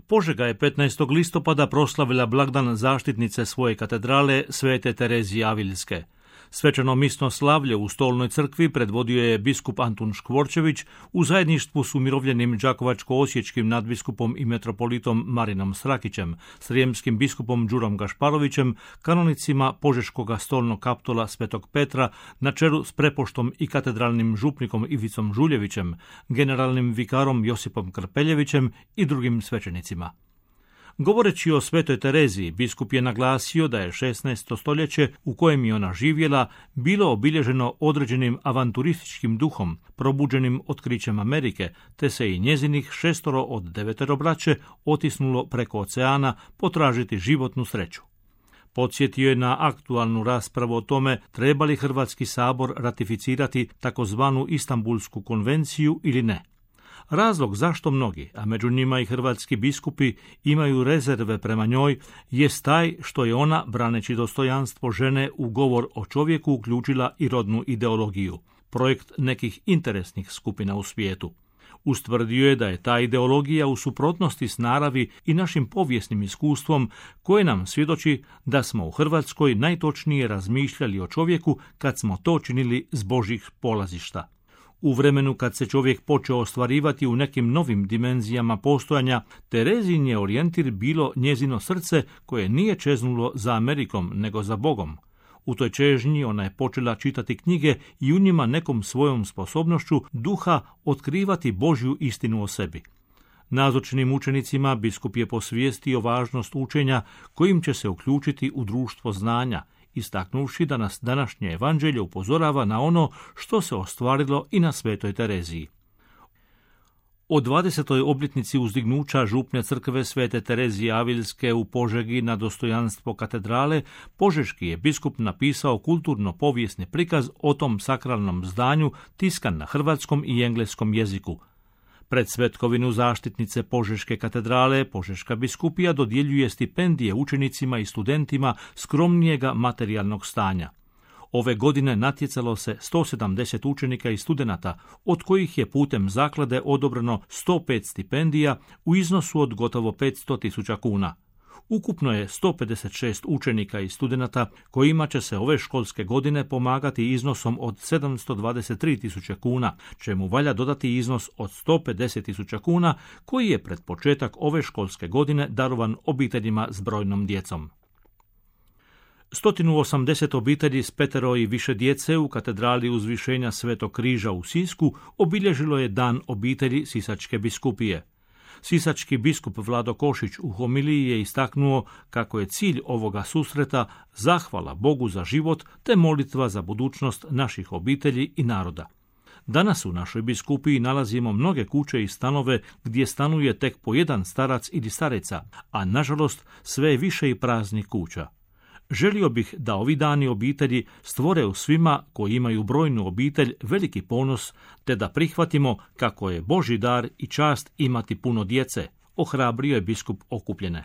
Požega je 15. listopada proslavila blagdan zaštitnice svoje katedrale Svete Terezije Aviljske. Svečano misno slavlje u Stolnoj crkvi predvodio je biskup Antun Škvorčević u zajedništvu s umirovljenim đakovačko-osječkim nadbiskupom i metropolitom Marinom Srakićem, srijemskim biskupom Đurom Gašparovićem, kanonicima Požeškoga stolnog kaptola Svetog Petra na čelu s prepoštom i katedralnim župnikom Ivicom Žuljevićem, generalnim vikarom Josipom Krpeljevićem i drugim svećenicima. Govoreći o Svetoj Tereziji, biskup je naglasio da je 16. stoljeće u kojem je ona živjela bilo obilježeno određenim avanturističkim duhom, probuđenim otkrićem Amerike, te se i njezinih 6 od 9 braće otisnulo preko oceana potražiti životnu sreću. Podsjetio je na aktualnu raspravu o tome treba li Hrvatski sabor ratificirati takozvanu Istanbulsku konvenciju ili ne. Razlog zašto mnogi, a među njima i hrvatski biskupi, imaju rezerve prema njoj jest taj što je ona, braneći dostojanstvo žene u govor o čovjeku, uključila i rodnu ideologiju, projekt nekih interesnih skupina u svijetu. Ustvrdio je da je ta ideologija u suprotnosti s naravi i našim povijesnim iskustvom koje nam svjedoči da smo u Hrvatskoj najtočnije razmišljali o čovjeku kad smo to činili s Božjih polazišta. U vremenu kad se čovjek počeo ostvarivati u nekim novim dimenzijama postojanja, Terezin je orijentir bilo njezino srce koje nije čeznulo za Amerikom, nego za Bogom. U toj čežnji ona je počela čitati knjige i u njima nekom svojom sposobnošću duha otkrivati Božju istinu o sebi. Nazočnim učenicima biskup je posvijestio važnost učenja kojim će se uključiti u društvo znanja, istaknuvši da nas današnje evanđelje upozorava na ono što se ostvarilo i na Svetoj Tereziji. O 20. obljetnici uzdignuća župne crkve Svete Terezije Aviljske u Požegi na dostojanstvo katedrale, požeški je biskup napisao kulturno-povijesni prikaz o tom sakralnom zdanju tiskan na hrvatskom i engleskom jeziku. Pred svetkovinu zaštitnice Požeške katedrale, Požeška biskupija dodjeljuje stipendije učenicima i studentima skromnijega materijalnog stanja. Ove godine natjecalo se 170 učenika i studenata, od kojih je putem zaklade odobreno 105 stipendija u iznosu od gotovo 500.000 kuna. Ukupno je 156 učenika i studenata kojima će se ove školske godine pomagati iznosom od 723.000 kuna, čemu valja dodati iznos od 150.000 kuna koji je pred početak ove školske godine darovan obiteljima s brojnom djecom. 180 obitelji s 5 i više djece u katedrali Uzvišenja Svetog križa u Sisku obilježilo je dan obitelji Sisačke biskupije. Sisački biskup Vlado Košić u homiliji je istaknuo kako je cilj ovoga susreta zahvala Bogu za život te molitva za budućnost naših obitelji i naroda. Danas u našoj biskupiji nalazimo mnoge kuće i stanove gdje stanuje tek po jedan starac ili stareca, a nažalost sve je više i praznih kuća. Želio bih da ovi dani obitelji stvore u svima koji imaju brojnu obitelj veliki ponos, te da prihvatimo kako je Božji dar i čast imati puno djece, ohrabrio je biskup okupljene.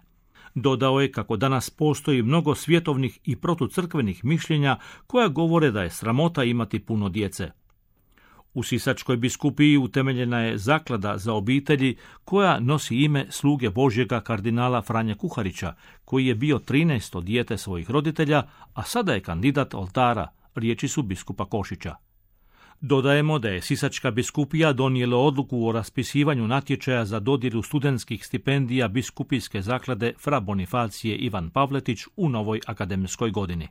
Dodao je kako danas postoji mnogo svjetovnih i protucrkvenih mišljenja koja govore da je sramota imati puno djece. U Sisačkoj biskupiji utemeljena je zaklada za obitelji koja nosi ime sluge Božjega kardinala Franje Kuharića, koji je bio 13. dijete svojih roditelja, a sada je kandidat oltara, riječi su biskupa Košića. Dodajemo da je Sisačka biskupija donijela odluku o raspisivanju natječaja za dodjelu studentskih stipendija biskupijske zaklade Fra Bonifacije Ivan Pavletić u novoj akademskoj godini.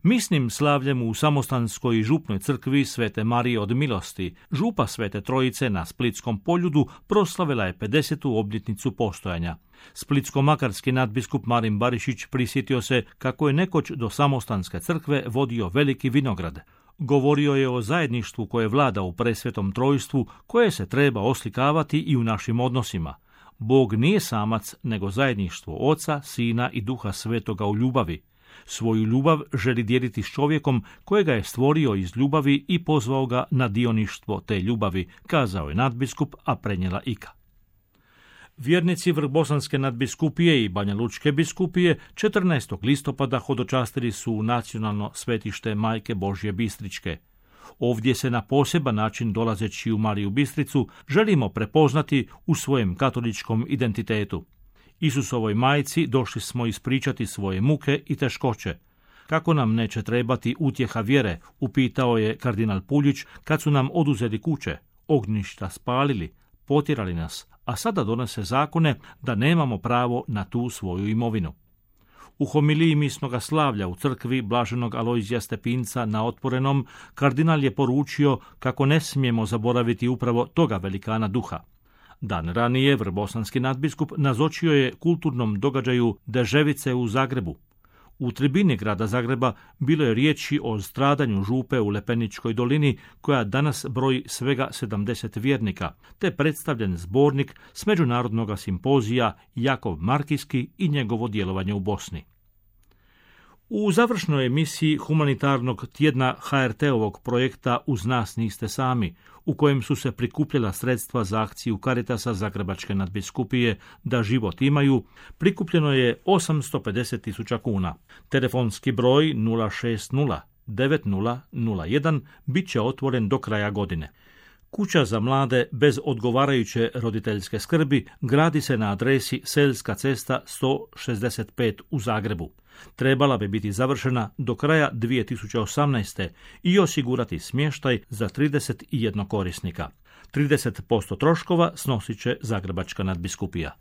Misnim slavljem u Samostanskoj i župnoj crkvi Svete Marije od milosti, župa Svete Trojice na Splitskom Poljudu proslavila je 50. obljetnicu postojanja. Splitsko-makarski nadbiskup Marin Barišić prisjetio se kako je nekoć do Samostanske crkve vodio veliki vinograd. Govorio je o zajedništvu koje vlada u presvetom trojstvu, koje se treba oslikavati i u našim odnosima. Bog nije samac, nego zajedništvo Oca, Sina i Duha Svetoga u ljubavi. Svoju ljubav želi dijeliti s čovjekom kojega je stvorio iz ljubavi i pozvao ga na dioništvo te ljubavi, kazao je nadbiskup, a prenijela Ika. Vjernici Vrbosanske nadbiskupije i Banja Lučke biskupije 14. listopada hodočastili su u nacionalno svetište Majke Božje Bistričke. Ovdje se na poseban način, dolazeći u Mariju Bistricu, želimo prepoznati u svojem katoličkom identitetu. Isusovoj majci došli smo ispričati svoje muke i teškoće. Kako nam neće trebati utjeha vjere, upitao je kardinal Puljić kad su nam oduzeli kuće, ognjišta spalili, potjerali nas, a sada donose zakone da nemamo pravo na tu svoju imovinu. U homiliji misnoga slavlja u crkvi blaženog Alojzija Stepinca na Otvorenom, kardinal je poručio kako ne smijemo zaboraviti upravo toga velikana duha. Dan ranije vrbosanski nadbiskup nazočio je kulturnom događaju Deževice u Zagrebu. U tribini grada Zagreba bilo je riječi o stradanju župe u Lepeničkoj dolini, koja danas broji svega 70 vjernika, te predstavljen zbornik s međunarodnog simpozija Jakov Markijski i njegovo djelovanje u Bosni. U završnoj emisiji humanitarnog tjedna HRT-ovog projekta Uz nas niste sami, u kojem su se prikupljala sredstva za akciju Caritasa Zagrebačke nadbiskupije Da život imaju, prikupljeno je 850.000 kuna. Telefonski broj 060 9001 bit će otvoren do kraja godine. Kuća za mlade bez odgovarajuće roditeljske skrbi gradi se na adresi Selska cesta 165 u Zagrebu. Trebala bi biti završena do kraja 2018. i osigurati smještaj za 31 korisnika. 30% troškova snosit će Zagrebačka nadbiskupija.